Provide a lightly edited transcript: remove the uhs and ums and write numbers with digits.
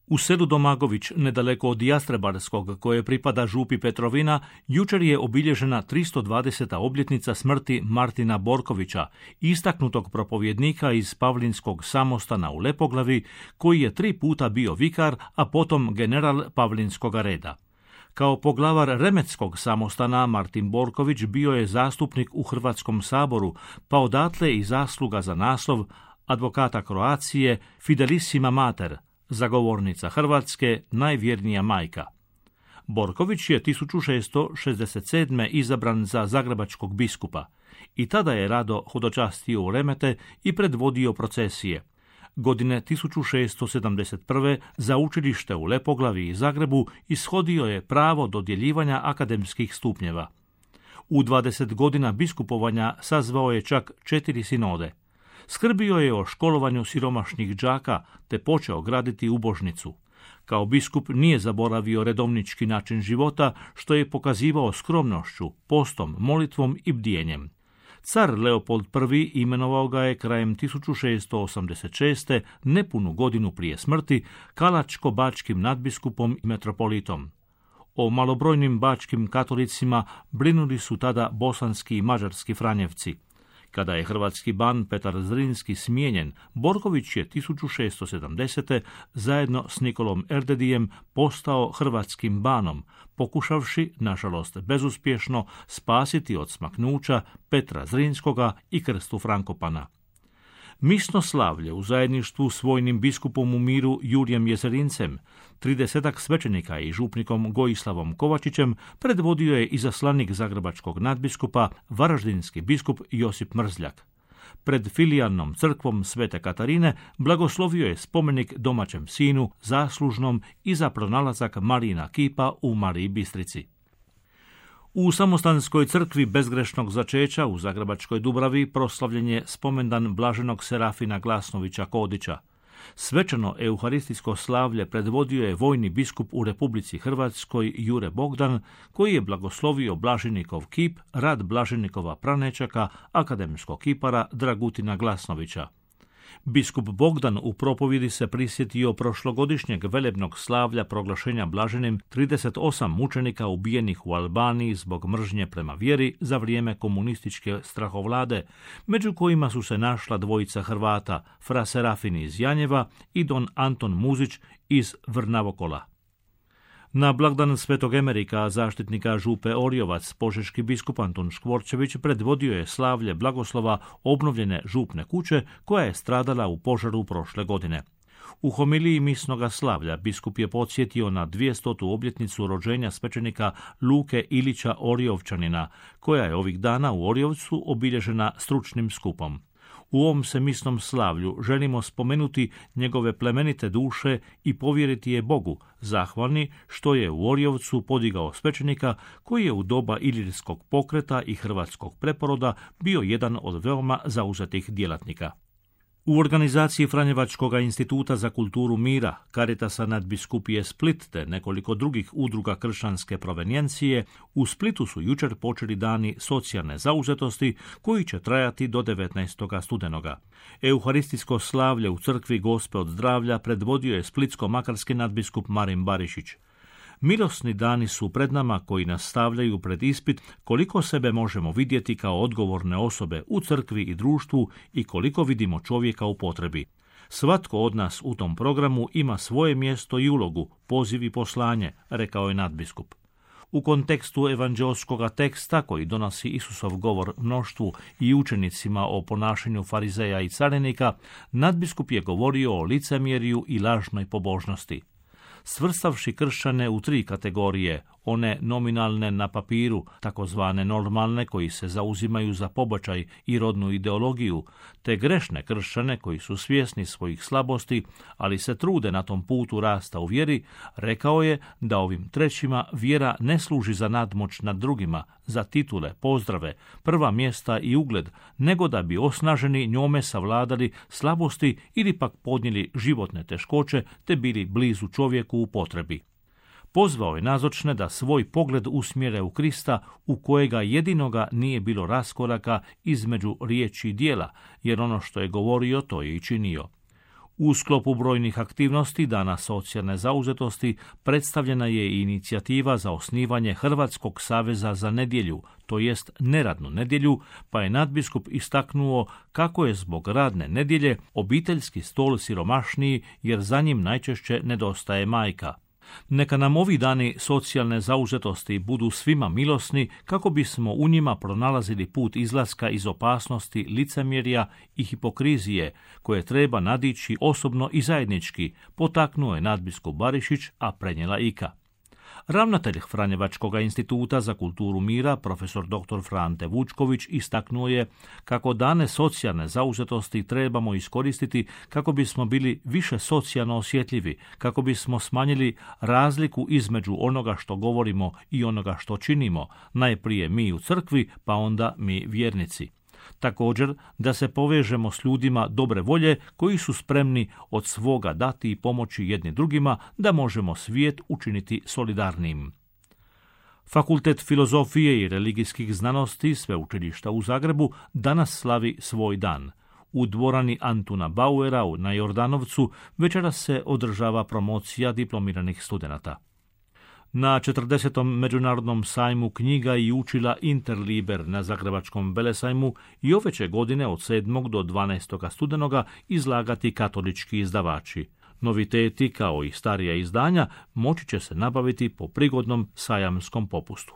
U selu Domagović, nedaleko od Jastrebarskog, koje pripada župi Petrovina, jučer je obilježena 320. obljetnica smrti Martina Borkovića, istaknutog propovjednika iz Pavlinskog samostana u Lepoglavi, koji je 3 puta bio vikar, a potom general Pavlinskoga reda. Kao poglavar Remetskog samostana Martin Borković bio je zastupnik u Hrvatskom saboru, pa odatle i zasluga za naslov advokata Kroacije Fidelissima Mater, zagovornica Hrvatske, najvjernija majka. Borković je 1667. izabran za zagrebačkog biskupa i tada je rado hodočastio u Remete i predvodio procesije. Godine 1671. za učilište u Lepoglavi i Zagrebu ishodio je pravo dodjeljivanja akademskih stupnjeva. U 20 godina biskupovanja sazvao je čak 4 sinode. Skrbio je o školovanju siromašnih đaka te počeo graditi ubožnicu. Kao biskup nije zaboravio redovnički način života, što je pokazivao skromnošću, postom, molitvom i bdijenjem. Car Leopold I imenovao ga je krajem 1686. nepunu godinu prije smrti kalačko-bačkim nadbiskupom i metropolitom. O malobrojnim bačkim katolicima brinuli su tada bosanski i mađarski franjevci. Kada je hrvatski ban Petar Zrinski smijenjen, Borković je 1670. zajedno s Nikolom Erdedijem postao hrvatskim banom, pokušavši, nažalost bezuspješno, spasiti od smaknuća Petra Zrinskoga i krstu Frankopana. Misno slavlje u zajedništvu s vojnim biskupom u miru Jurijem Jezerincem, 30 svećenika i župnikom Gojislavom Kovačićem predvodio je izaslanik zagrebačkog nadbiskupa, varaždinski biskup Josip Mrzljak. Pred filijalnom crkvom Svete Katarine blagoslovio je spomenik domaćem sinu, zaslužnom i za pronalazak Marijina kipa u Mariji Bistrici. U Samostanskoj crkvi bezgrešnog začeća u Zagrebačkoj Dubravi proslavljen je spomendan blaženog Serafina Glasnovića Kodića. Svečano euharistijsko slavlje predvodio je vojni biskup u Republici Hrvatskoj Jure Bogdan, koji je blagoslovio blaženikov kip, rad blaženikova pranečaka, akademskog kipara Dragutina Glasnovića. Biskup Bogdan u propovjedi se prisjetio prošlogodišnjeg velebnog slavlja proglašenja blaženim 38 mučenika ubijenih u Albaniji zbog mržnje prema vjeri za vrijeme komunističke strahovlade, među kojima su se našla dvojica Hrvata, fra Serafin iz Janjeva i don Anton Muzić iz Vrnavokola. Na blagdan Svetog Emerika, zaštitnika župe Orjovac, požeški biskup Antun Škvorčević predvodio je slavlje blagoslova obnovljene župne kuće koja je stradala u požaru prošle godine. U homiliji misnoga slavlja biskup je podsjetio na 200. obljetnicu rođenja svećenika Luke Ilića Orjovčanina, koja je ovih dana u Orjovcu obilježena stručnim skupom. U ovom se misnom slavlju želimo spomenuti njegove plemenite duše i povjeriti je Bogu, zahvalni što je u Orjovcu podigao svećenika koji je u doba ilirskog pokreta i hrvatskog preporoda bio jedan od veoma zauzetih djelatnika. U organizaciji Franjevačkog instituta za kulturu mira, Caritasa nadbiskupije Split te nekoliko drugih udruga kršćanske provenjencije, u Splitu su jučer počeli dani socijalne zauzetosti koji će trajati do 19. studenoga. Euharistijsko slavlje u crkvi Gospe od zdravlja predvodio je splitsko-makarski nadbiskup Marin Barišić. Milosni dani su pred nama koji nas stavljaju pred ispit koliko sebe možemo vidjeti kao odgovorne osobe u crkvi i društvu i koliko vidimo čovjeka u potrebi. Svatko od nas u tom programu ima svoje mjesto i ulogu, poziv i poslanje, rekao je nadbiskup. U kontekstu evanđelskoga teksta koji donosi Isusov govor mnoštvu i učenicima o ponašanju farizeja i carinika, nadbiskup je govorio o licemjerju i lažnoj pobožnosti. Svrstavši kršćane u 3 kategorije, one nominalne na papiru, takozvane normalne koji se zauzimaju za pobačaj i rodnu ideologiju, te grešne kršćane koji su svjesni svojih slabosti, ali se trude na tom putu rasta u vjeri, rekao je da ovim trećima vjera ne služi za nadmoć nad drugima, za titule, pozdrave, prva mjesta i ugled, nego da bi osnaženi njome savladali slabosti ili pak podnijeli životne teškoće te bili blizu čovjeku u potrebi. Pozvao je nazočne da svoj pogled usmjere u Krista, u kojega jedinoga nije bilo raskoraka između riječi i djela, jer ono što je govorio, to je i činio. U sklopu brojnih aktivnosti Dana socijalne zauzetosti predstavljena je i inicijativa za osnivanje Hrvatskog saveza za nedjelju, to jest neradnu nedjelju, pa je nadbiskup istaknuo kako je zbog radne nedjelje obiteljski stol siromašniji jer za njim najčešće nedostaje majka. Neka nam ovi dani socijalne zauzetosti budu svima milosni kako bismo u njima pronalazili put izlaska iz opasnosti licemjerja i hipokrizije koje treba nadići osobno i zajednički, potaknuo je nadbiskup Barišić, a prenijela Ika. Ravnatelj Franjevačkog instituta za kulturu mira, profesor dr. Frante Vučković, istaknuo je kako dane socijalne zauzetosti trebamo iskoristiti kako bismo bili više socijalno osjetljivi, kako bismo smanjili razliku između onoga što govorimo i onoga što činimo, najprije mi u crkvi, pa onda mi vjernici. Također, da se povežemo s ljudima dobre volje koji su spremni od svoga dati i pomoći jedni drugima da možemo svijet učiniti solidarnim. Fakultet filozofije i religijskih znanosti Sveučilišta u Zagrebu danas slavi svoj dan. U dvorani Antuna Bauera na Jordanovcu večeras se održava promocija diplomiranih studenata. Na 40. Međunarodnom sajmu knjiga i učila Interliber na Zagrebačkom velesajmu i ove će godine od 7. do 12. studenoga izlagati katolički izdavači. Noviteti, kao i starija izdanja, moći će se nabaviti po prigodnom sajamskom popustu.